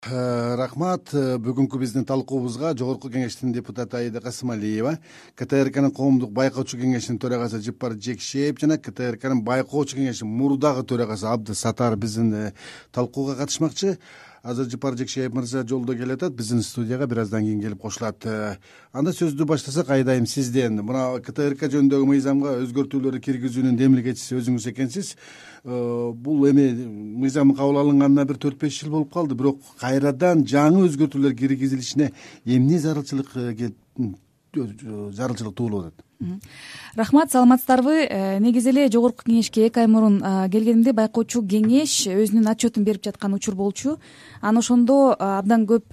Рахмат. Бүгүнкү биздин талкуубузга Жогорку Кеңештин депутаты Аида Касымалиева, КТРКнын коомдук байкоочу кеңешинин төрагасы Жыпар Жекшеев жана КТРКнын байкоочу кеңешинин мурдагы төрагасы Абды Сатар биздин талкууга катышмакчы. Азыр Жыпар Жекшеев мырза жолдо келатат, биздин студияга бир аздан кийин келип кошулат. Анда сөздү баштасак, Айдайым сизден. Мына КТРК жөнүндөгү мыйзамга өзгөртүүлөрдү киргизүүнүн демилгечиси өзүңүз экенсиз. Бул эми мыйзам кабыл алынганына бир 4-5 жыл болуп калды, бирок кайрадан жаңы өзгөртүүлөр киргизилишине эмне зарылчылык туулуп атат? Рахмат, саламатсыздарбы? Негизи эле Жогорку Кеңешке 2 ай мурун келгенимде байкоочу кеңеш өзүнүн отчетун берип жаткан учур болчу. Анан ошондо абдан көп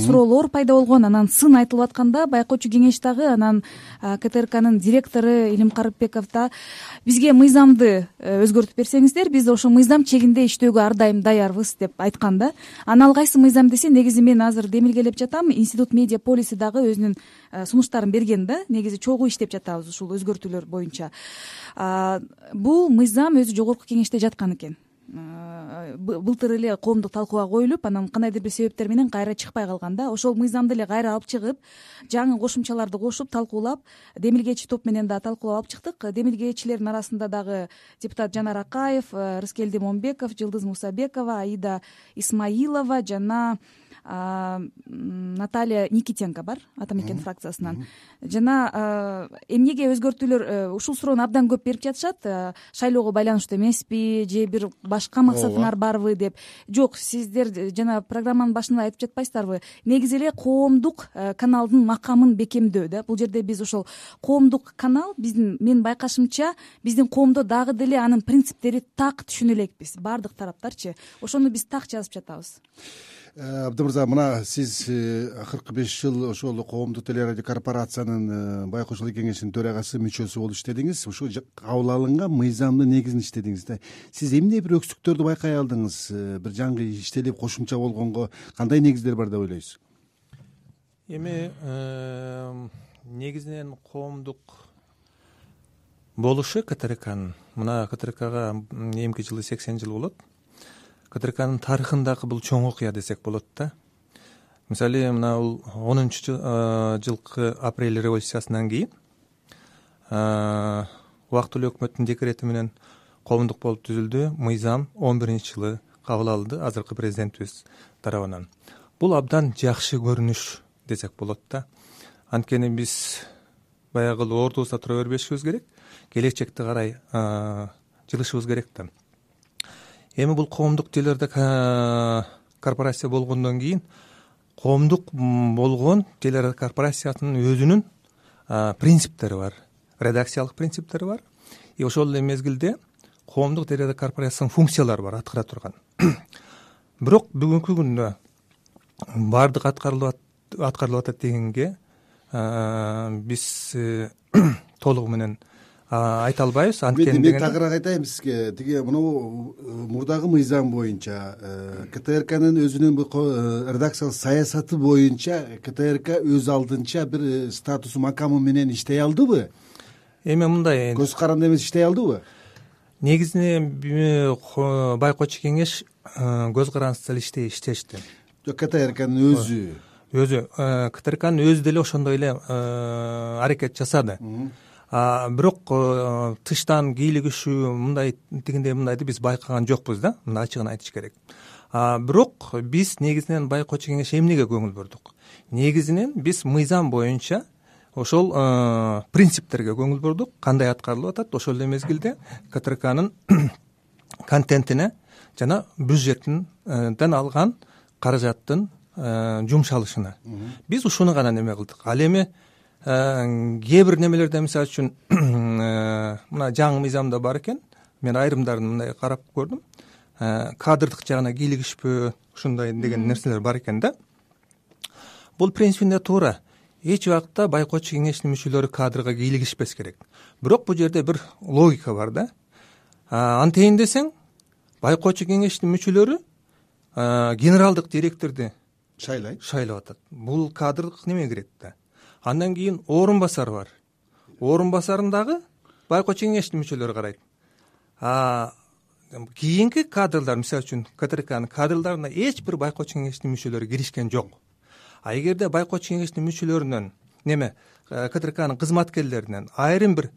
суроолор пайда болгон. Анан сын айтылып атканда байкоочу кеңеш дагы, анан КТРКнын директору Илим Карыпбеков да бизге мыйзамды өзгөртүп берсеңиздер, биз ошо мыйзам чегинде иштөөгө ар дайым даярбыз деп айткан да. Анан ал кайсы мыйзам десе, негизи мен азыр демилгелеп жатам. Институт медиа полиси дагы өзүнүн сунуштарын берген да. Негизи чогуу иштеп жатабыз ушул өзгөртүүлөр боюнча. Бул мыйзам өзү Жогорку Кеңеште жаткан экен. Былтыр эле коомдук талкууга коюлуп, анан кандайдыр бир себептер менен кайра чыкпай калган да. Ошол мыйзамды эле кайра алып чыгып, жаңы кошумчаларды кошуп талкуулап, демилгечи топ менен да талкуулап алып чыктык. Демилгечилердин арасында дагы депутат Жанар Акаев, Рыскелди Момбеков, Жылдыз Мусабекова, Аида Исмаилова жана Наталья Никитенко бар, Ата мекен фракциясынан. Жана эмнеге өзгөртүүлөр, ушул суроону абдан көп берип жатышат. Шайлоого байланыштуу эмеспи же бир башка максатыңар барбы деп. Жок, сиздер жана программанын башында айтып жатпайсыздарбы? Негизи эле коомдук каналдын макамын бекемдөө да. Бул жерде биз ошол коомдук канал, мен байкашымча, биздин коомдо дагы деле анын принциптери так түшүнө элекпиз, баардык тараптарчы. Ошону биз так жазып жатабыз. Абды мырза, мына сиз акыркы 5 жыл ошол коомдук телерадио корпорациянын байкоочулук кеңешинин төрагасы, мүчөсү болуп иштедиңиз. Ушул кабыл алынган мыйзамдын негизин иштедиңиз да. Сиз эмне бир өксүктөрдү байкай алдыңыз? Бир жаңы иштелип кошумча болгонго кандай негиздер бар деп ойлойсуз? Эми негизинен коомдук болушу КТРКнын, мына КТРКга эмки жылы 80 жыл болот. КТРКнын тарыхындагы бул чоң окуя десек болот да. Мисалы, мына бул 10-жылкы апрель революциясынан кийин убактылуу өкмөттүн декрети менен коомдук болуп түзүлдү. Мыйзам 11-жылы кабыл алынды азыркы президентибиз тарабынан. Бул абдан жакшы көрүнүш десек болот да. Анткени биз баягы ордубузда тура бербешибиз керек, келечекти карай жылышыбыз керек да. Эми бул коомдук телерадио корпорация болгондон кийин коомдук болгон телерадио корпорациясынын өзүнүн принциптери бар, редакциялык принциптери бар. И ошол эле мезгилде коомдук телерадио корпорациясынын функциялары бар, аткара турган. Бирок бүгүнкү күндө баардык аткарылып атат дегенге биз толугу менен айта албайбыз. Анткени мен тагыраак айтайын сизге. Тиги мынау мурдагы мыйзам боюнча КТРКнын өзүнүн редакциялык саясаты боюнча КТРК өз алдынча бир статусу, макамы менен иштей алдыбы? Эми мындай, көз каранды эмес иштей алдыбы? Негизинен байкоочу кеңеш көз карандысыз эле иштешти. КТРКнын өзү КТРКнын өзү деле ошондой эле аракет жасады. Бирок тыштан кийлигишүү мындай тигиндей мындайды биз байкаган жокпуз да, мына ачыгын айтыш керек. Бирок биз негизинен байкоочу кеңеш эмнеге көңүл бурдук? Негизинен биз мыйзам боюнча ошол принциптерге көңүл бурдук, кандай аткарылып атат, ошол эле мезгилде КТРКнын контентине жана бюджетинден алган каражаттын жумшалышына. Биз ушуну гана неме кылдык. Ал эми кээ бир немелерде, мисалы үчүн мына жаңы мыйзамда бар экен, мен айрымдарын мындай карап көрдүм. Кадрдык жагына кийлигишпөө, ушундай деген нерселер бар экен да. Бул принципинде туура. Эч убакта байкоочу кеңештин мүчөлөрү кадрга кийлигишпес керек. Бирок бул жерде бир логика бар да. Антейин десең, байкоочу кеңештин мүчөлөрү генералдык директорду шайлап атат. Бул кадрдык неме кирет да. Андан кийин орун басар бар. Орун басарын дагы байкоочу кеңештин мүчөлөрү карайт. кийинки кадрлар, мисалы үчүн КТРКнын кадрларына эч бир байкоочу кеңештин мүчөлөрү киришкен жок. А эгерде байкоочу кеңештин мүчөлөрүнөн КТРКнын кызматкерлеринен айрым бир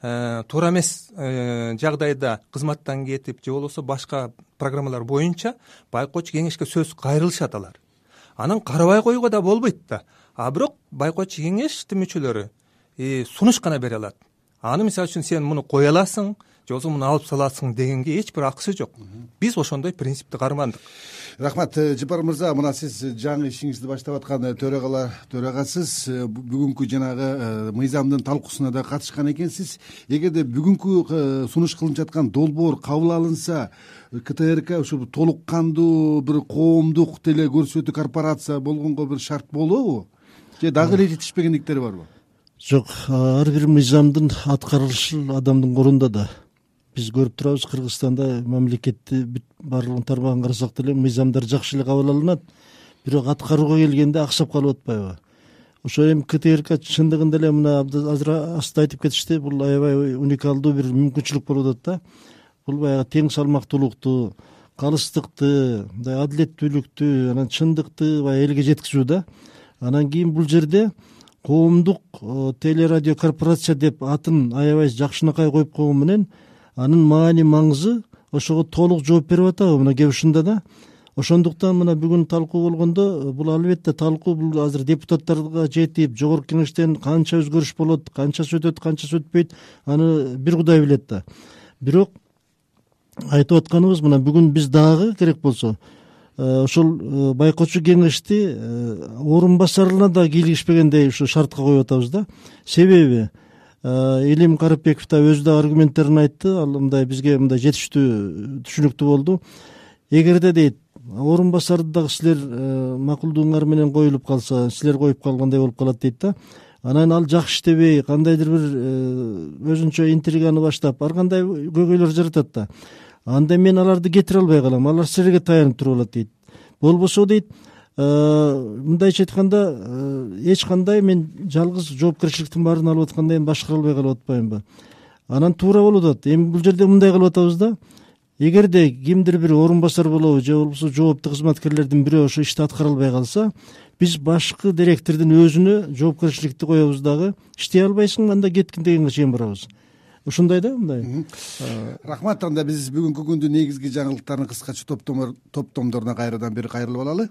туура эмес жагдайда кызматтан кетип же болбосо башка программалар боюнча байкоочу кеңешке сөз кайрылышат алар. Анан карабай коюуга да болбойт да. А бирок байкоочу кеңештин мүчөлөрү сунуш гана бере алат. Аны мисалы үчүн сен муну кое аласың же болбосо муну алып саласың дегенге эч бир акысы жок. Биз ошондой принципти кармандык. Рахмат, Жапар мырза, мына сиз жаңы ишиңизди баштап аткан төрагасыз. Бүгүнкү жанагы мыйзамдын талкуусуна да катышкан экенсиз. Эгерде бүгүнкү сунуш кылынып жаткан долбоор кабыл алынса, КТРК ушу толук кандуу бир коомдук теле көрсөтүү корпорация болгонго бир шарт болобу? Же дагы эле жетишпегендиктери барбы? Жок, ар бир мыйзамдын аткарылышы адамдын колунда да. Биз көрүп турабыз, Кыргызстанда мамлекетти баардыгын тармагын карасак деле мыйзамдар жакшы эле кабыл алынат, бирок аткарууга келгенде аксап калып атпайбы? Ошо эми КТРК чындыгында эле мына азыр аста айтып кетишти, бул аябай уникалдуу бир мүмкүнчүлүк болуп атат да. Бул баягы тең салмактуулукту, калыстыкты, мындай адилеттүүлүктү, анан чындыкты баягы элге жеткизүү да. Анан кийин бул жерде коомдук телерадио корпорация деп атын аябай жакшынакай коюп койгон менен анын маани маңызы ошого толук жооп берип атабы мына кеп ушунда да. Ошондуктан мына бүгүн талкуу болгондо бул албетте талкуу бул азыр депутаттарга жетип, жогорку кеңештен канча өзгөрүш болот, канчасы өтөт, канчасы өтпөйт, аны бир Кудай билет да. Бирок айтып атканыбыз мына бүгүн биз дагы керек болсо ошол байкоочу кеңешти орун басарына да кийлигишпегендей ушу шартка коюп атабыз да. Себеби Илим Карыпбеков да өзү да аргументтерин айтты, ал мындай бизге мындай жетиштүү түшүнүктүү болду. Эгерде дейт орун басарды дагы силер макулдугуңар менен коюлуп калса, силер коюп калгандай болуп калат дейт да. Анан ал жакшы иштебей, кандайдыр бир өзүнчө интриганы баштап, ар кандай көйгөйлөр жаратат да. Анда мен аларды кетире албай калам, алар силерге таянып туруп алат дейт. Болбосо дейт, мындайча айтканда эч кандай мен жалгыз жоопкерчиликтин баарын алып аткандай башкара албай калып атпаймынбы? Анан туура болуп атат. Эми бул жерде мындай кылып атабыз да. Эгерде кимдир бир орун басар болобу же болбосо жооптуу кызматкерлердин бирөө ошо ишти аткара албай калса, биз башкы директордун өзүнө жоопкерчиликти коебуз дагы, иштей албайсың, анда кеткин дегенге чейин барабыз. Ушундай да мындай. Рахмат, анда биз бүгүнкү күндүн негизги жаңылыктарын кыскача топтомдоруна кайрадан бир кайрылып алалы.